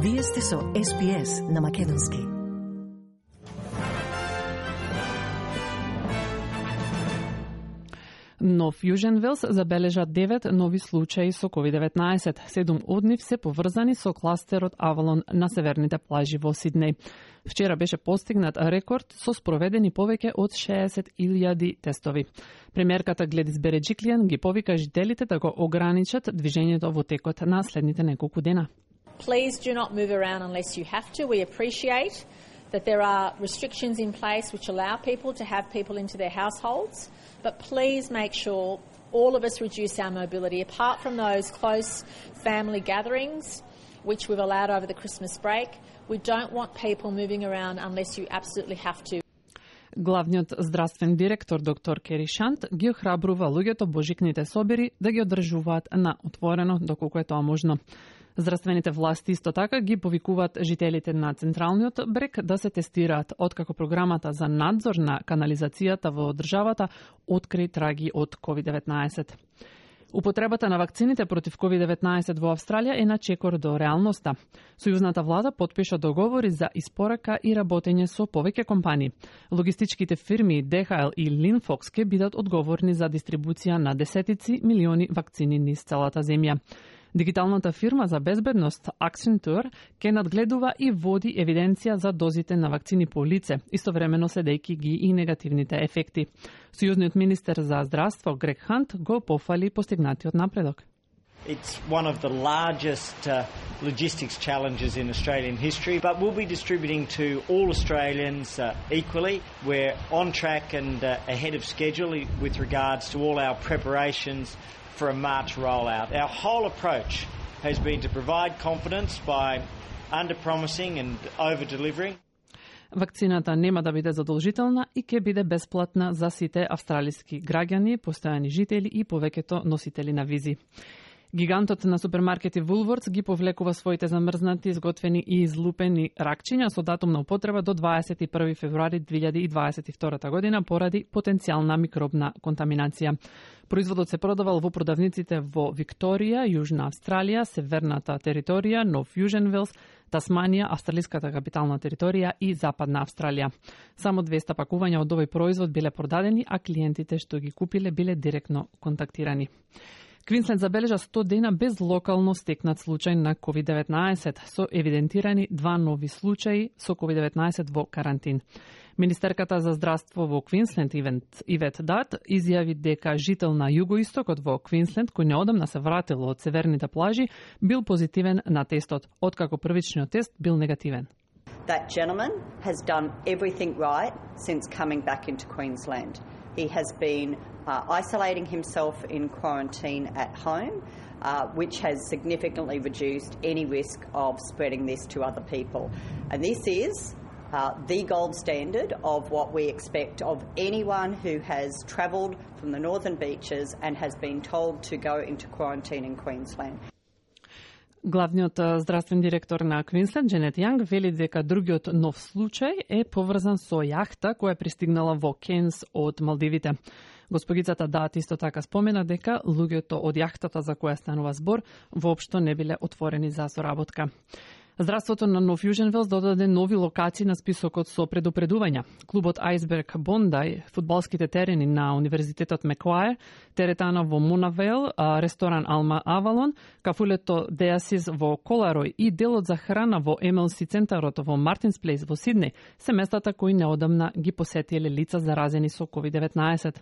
Вие сте со SPS на Македонски. Нов Јужен Велс забележа 9 нови случаи со COVID-19. 7 од нив се поврзани со кластерот Авалон на северните плажи во Сиднеј. Вчера беше постигнат рекорд со спроведени повеќе од 60.000 тестови. Премиерката Гледис Береджиклијан ги повика жителите да го ограничат движењето во текот на следните неколку дена. Please do not move around unless you have to. We appreciate that there are restrictions in place which allow people to have people into their households, but please make sure all of us reduce our mobility. Apart from those close family gatherings, which we've allowed over the Christmas break, we don't want people moving around unless you absolutely have to. Главниот здравствен директор доктор Кери Шант ги охрабрува луѓето божикните собири да ги одржуваат на отворено доколку е тоа можно. Здравствените власти исто така ги повикуваат жителите на Централниот брег да се тестираат, откако програмата за надзор на канализацијата во државата откри траги од COVID-19. Употребата на вакцините против COVID-19 во Австралија е на чекор до реалноста. Сојузната влада потпиша договори за испорака и работење со повеќе компании. Логистичките фирми DHL и Linfox ќе бидат одговорни за дистрибуција на десетици милиони вакцини низ целата земја. Дигиталната фирма за безбедност Accenture ќе надгледува и води евиденција за дозите на вакцини по лице, истовремено следејќи ги и негативните ефекти. Сојузниот министер за здравство Грег Хант го пофали постигнатиот напредок. It's one of the largest logistics challenges in Australian history, but we'll be distributing to all Australians equally. We're on track and ahead of schedule with regards to all our preparations for a March rollout. Our whole approach has been to provide confidence by under-promising and over-delivering. Вакцината нема да биде задолжителна и ќе биде бесплатна за сите австралиски граѓани, постојани жители и повеќето носители на визи. Гигантот на супермаркети Woolworths ги повлекува своите замрзнати, изготвени и излупени ракчиња со датум на употреба до 21 февруари 2022 година поради потенцијална микробна контаминација. Производот се продавал во продавниците во Викторија, Јужна Австралија, Северната територија, Нов Јужен Велс, Тасманија, Австралиската капитална територија и Западна Австралија. Само 200 пакувања од овој производ биле продадени, а клиентите што ги купиле биле директно контактирани. Квинсленд забележа 100 дена без локално стекнат случај на COVID-19, со евидентирани 2 нови случаи со COVID-19 во карантин. Министерката за здравство во Квинсленд Ивет Дат изјави дека жител на југоистокот во Квинсленд, кој неодамна се вратил од северните плажи, бил позитивен на тестот, откако првичниот тест бил негативен. That gentleman has done everything right since coming back into Queensland. He has been isolating himself in quarantine at home, which has significantly reduced any risk of spreading this to other people. And this is the gold standard of what we expect of anyone who has travelled from the northern beaches and has been told to go into quarantine in Queensland. Главниот здравствен директор на Квинсленд, Дженет Јанг, вели дека другиот нов случај е поврзан со јахта која пристигнала во Кенс од Малдивите. Госпогицата Дат исто така спомена дека луѓето од јахтата за која станува збор воопшто не биле отворени за соработка. Здравството на Нов Јужен Велс додаде нови локации на списокот со предупредувања. Клубот Айсберг Бондај, фудбалските терени на Универзитетот Мекуајер, теретана во Мунавел, ресторан Алма Авалон, кафулето Деасис во Коларој и делот за храна во МЛС центарот во Мартинс Плейс во Сиднеј се местата кои неодамна ги посетиле лица заразени со COVID-19.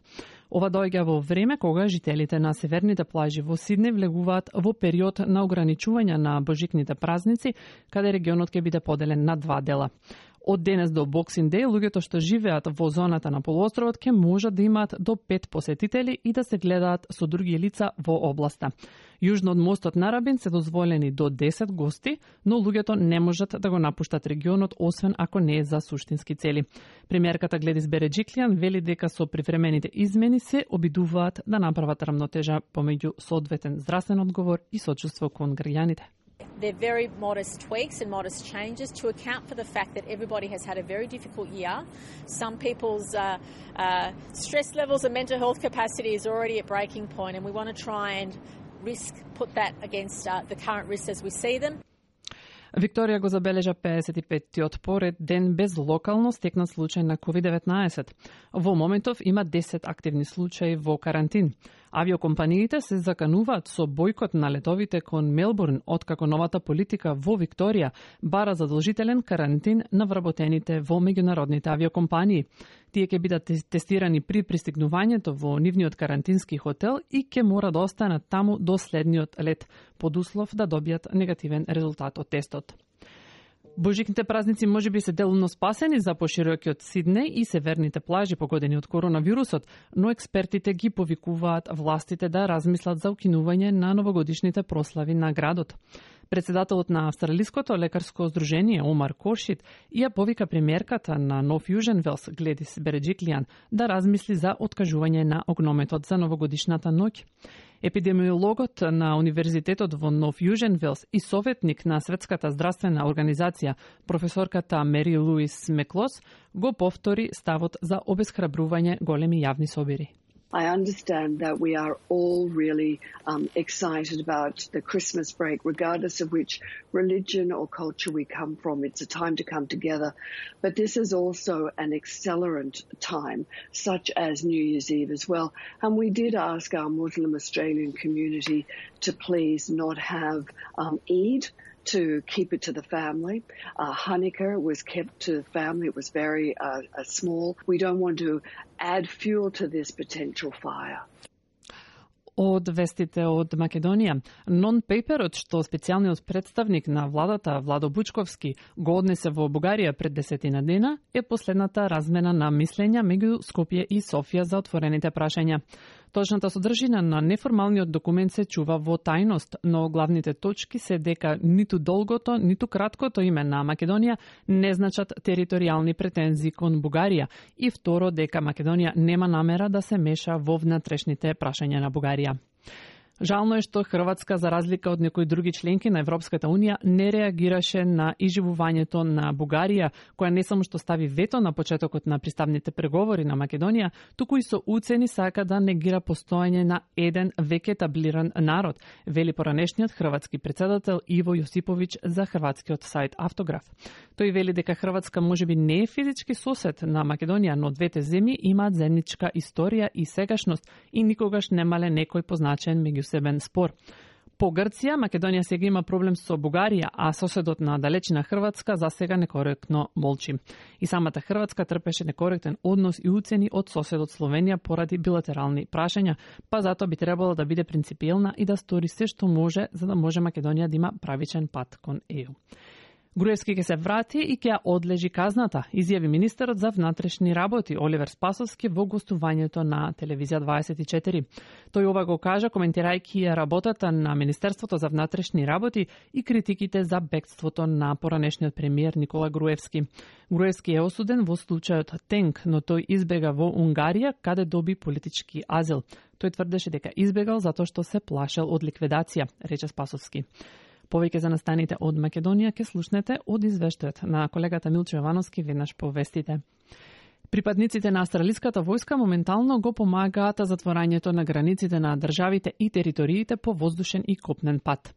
Ова доаѓа во време кога жителите на северните плажи во Сиднеј влегуваат во период на ограничување на божикните празници, каде регионот ќе биде поделен на 2 дела. Од денес до Боксинг Деј, луѓето што живеат во зоната на полуостровот ќе можат да имаат до 5 посетители и да се гледаат со други лица во областа. Јужно од мостот на Рабин се дозволени до 10 гости, но луѓето не можат да го напуштат регионот освен ако не е за суштински цели. Премиерката Гледис Береджиклијан вели дека со привремените измени се обидуваат да направат рамнотежа помеѓу соодветен здравствен одговор и сочувство кон граѓаните. They're very modest tweaks and modest changes to account for the fact that everybody has had a very difficult year. Some people's stress levels and mental health capacity is already at breaking point, and we want to try and put that against the current risks as we see them. Викторија го забележа 55-тиот поред ден без локално стекнат случај на COVID-19. Во моментов има 10 активни случаи во карантин. Авиокомпаниите се закануваат со бојкот на летовите кон Мелбурн, откако новата политика во Викторија бара задолжителен карантин на вработените во меѓународните авиокомпании. Тие ќе бидат тестирани при пристигнувањето во нивниот карантински хотел и ќе мора да останат таму до следниот лет, под услов да добијат негативен резултат од тестот. Божикните празници можеби се делумно спасени за поширокиот Сиднеј и северните плажи погодени од коронавирусот, но експертите ги повикуваат властите да размислат за укинување на новогодишните прослави на градот. Председателот на Австралиското лекарско здружение Омар Коршит ја повика премиерката на Нов Јужен Велс Гледис Береджиклијан да размисли за откажување на огнометот за новогодишната ноќ. Епидемиологот на Универзитетот во Нов Јужен Велс и советник на Светската здравствена организација, професорката Мери Луис Меклос, го повтори ставот за обесхрабрување големи јавни собири. I understand that we are all really excited about the Christmas break, regardless of which religion or culture we come from. It's a time to come together. But this is also an accelerant time, such as New Year's Eve as well. And we did ask our Muslim Australian community to please not have Eid, to keep it to the family. Hanukkah was kept to the family. It was very small. We don't want to add fuel to this potential fire. Од вестите од Македонија, нон-пейперот што специјалниот представник на владата Владо Бучковски го однесе во Бугарија пред 10 дена е последната размена на мислења меѓу Скопје и Софија за отворените прашања. Точната содржина на неформалниот документ се чува во тајност, но главните точки се дека ниту долгото, ниту краткото име на Македонија не значат територијални претензии кон Бугарија и второ дека Македонија нема намера да се меша во внатрешните прашања на Бугарија. Жално е што Хрватска, за разлика од некои други членки на Европската Унија, не реагираше на изживувањето на Бугарија, која не само што стави вето на почетокот на приставните преговори на Македонија, туку и со уцени сака да негира постоење на еден веќе етаблиран народ, вели поранешниот хрватски председател Иво Јосиповиќ за хрватскиот сајт Автограф. Тој вели дека Хрватска можеби не е физички сосед на Македонија, но двете земји имаат заедничка историја и сегашност и никогаш немале некој позначен меѓусебен спор. По Грција, Македонија сега има проблем со Бугарија, а соседот на далечина Хрватска засега некоректно молчи. И самата Хрватска трпеше некоректен однос и уцени од соседот Словенија поради билатерални прашања, па затоа би требало да биде принципиелна и да стори се што може за да може Македонија да има правичен пат кон ЕУ. Груевски ќе се врати и ќе одлежи казната, изјави министерот за внатрешни работи Оливер Спасовски во гостувањето на Телевизија 24. Тој ова го кажа коментирајќи работата на Министерството за внатрешни работи и критиките за бегството на поранешниот премиер Никола Груевски. Груевски е осуден во случајот Тенк, но тој избега во Унгарија, каде доби политички азил. Тој тврдеше дека избегал затоа што се плашел од ликвидација, рече Спасовски. Повеќе за настаните од Македонија ќе слушнете од извештајот на колегата Милчо Јовановски веднаш по вестите. Припадниците на австралиската војска моментално го помагаат затворањето на границите на државите и териториите по воздушен и копнен пат.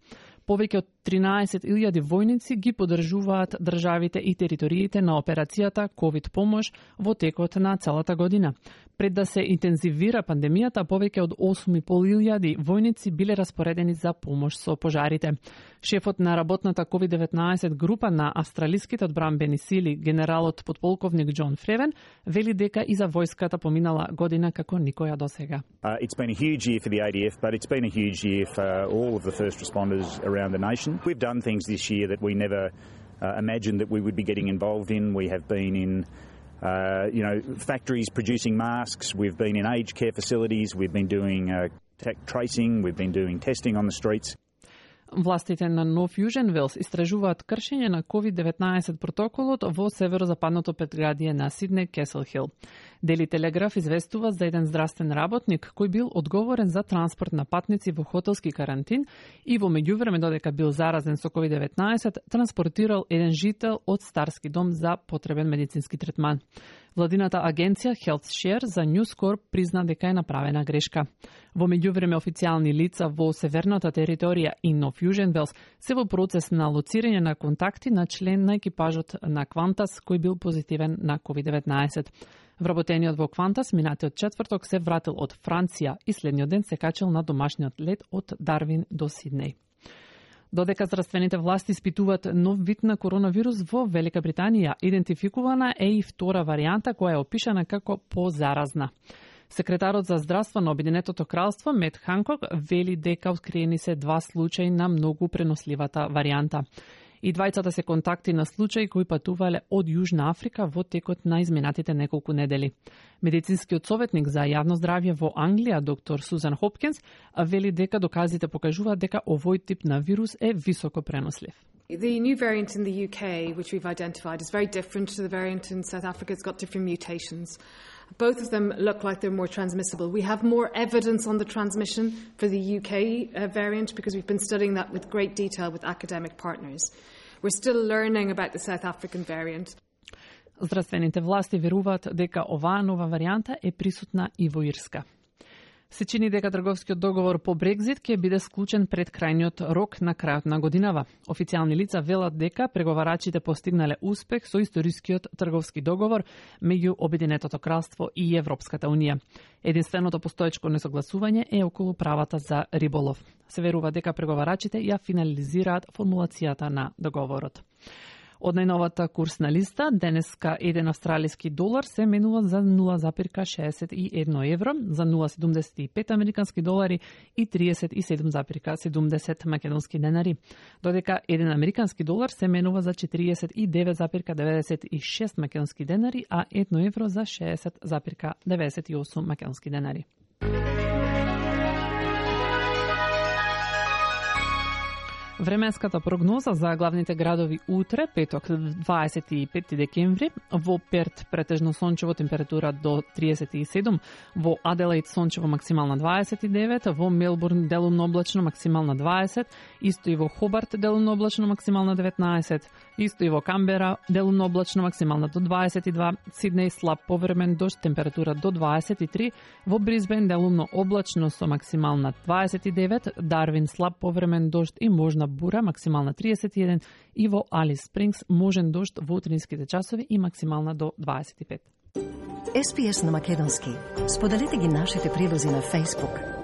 Повеќе од 13.000 војници ги поддржуваат државите и териториите на операцијата ковид помош во текот на целата година. Пред да се интензивира пандемијата, повеќе од 8.500 војници биле распоредени за помош со пожарите. Шефот на работната COVID-19 група на австралиските одбранбени сили, генералот подполковник Џон Фревен, вели дека и за војската поминала година како никоја досега. It's been a huge year for the ADF, but it's been a huge year for all of the first responders around the nation. We've done things this year that we never imagined that we would be getting involved in. We have been in factories producing masks. We've been in aged care facilities. We've been doing tracing. We've been doing testing on the streets. Властите на Нов Јужен Велс истражуваат кршење на COVID-19 протоколот во северозападното предградие на Сиднеј, Кесел Хил. Дели Телеграф известува за еден здравствен работник кој бил одговорен за транспорт на патници во хотелски карантин и во меѓувреме додека бил заразен со COVID-19, транспортирал еден жител од старски дом за потребен медицински третман. Владината агенција HealthShare за News Corp призна дека е направена грешка. Во меѓувреме официјални лица во северната територија и Нов Јужен Велс се во процес на лоцирање на контакти на член на екипажот на Qantas кој бил позитивен на COVID-19. Вработениот во Qantas минатиот четврток се вратил од Франција и следниот ден се качил на домашниот лет од Дарвин до Сиднеј. Додека здравствените власти испитуваат нов вид на коронавирус во Велика Британија, идентификувана е и втора варијанта која е опишана како позаразна. Секретарот за здравство на Обединетото кралство Мет Ханкок вели дека откриени се 2 случаи на многу преносливата варијанта. И двајцата се контакти на случаи кои патувале од Јужна Африка во текот на изминатите неколку недели. Медицинскиот советник за јавно здравје во Англија, доктор Сузан Хопкинс, вели дека доказите покажуваат дека овој тип на вирус е високо пренослив. The new variant in the UK, which we've identified, is very different to the variant in South Africa. It's got different mutations. Both of them look like they're more transmissible. We have more evidence on the transmission for the UK variant because we've been studying that with great detail with academic partners. We're still learning about the South African variant. Здравствените власти веруваат дека оваа нова варијанта е присутна и во Ирска. Се чини дека трговскиот договор по Брекзит ќе биде склучен пред крајниот рок на крајот на годинава. Официјални лица велат дека преговарачите постигнале успех со историскиот трговски договор меѓу Обединетото кралство и Европската унија. Единственото постоечко несогласување е околу правата за риболов. Се верува дека преговарачите ја финализираат формулацијата на договорот. Од најновата курсна листа, денеска 1 австралиски долар се менува за 0,61 евро, за 0,75 американски долари и 37,70 македонски денари, додека 1 американски долар се менува за 49,96 македонски денари, а 1 евро за 60,98 македонски денари. Временската прогноза за главните градови утре, петок 25 декември, во Перт претежно сончево, температура до 37, во Аделаид сончево, максимална 29, во Мелбурн делумно облачно, максимална 20, исто и во Хобарт делумно облачно, максимална 19, исто и во Камбера делумно облачно, максимална до 22, Сиднеј слаб повремен дожд, температура до 23, во Брисбен делумно облачно со максимална 29, Дарвин слаб повремен дожд и можна бура, максимална 31, и во Алис Спрингс можен дожд во утринските часови и максимална до 25. SPS на македонски. Споделете ги нашите прилози на Facebook,